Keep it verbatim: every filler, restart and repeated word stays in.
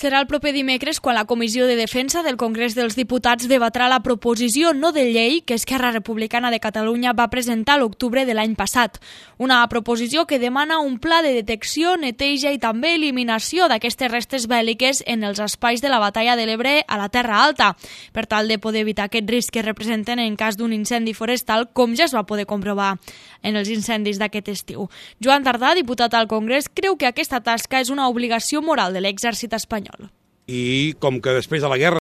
Serà el proper dimecres quan la Comissió de Defensa del Congrés dels Diputats debatrà la proposició no de llei que Esquerra Republicana de Catalunya va presentar a l'octubre de l'any passat. Una proposició que demana un pla de detecció, neteja i també eliminació d'aquestes restes bèl·liques en els espais de la batalla de l'Ebre a la Terra Alta, per tal de poder evitar aquest risc que representen en cas d'un incendi forestal, com ja es va poder comprovar en els incendis d'aquest estiu. Joan Tardà, diputat al Congrés, creu que aquesta tasca és una obligació moral de l'exèrcit espanyol. I com que després de la guerra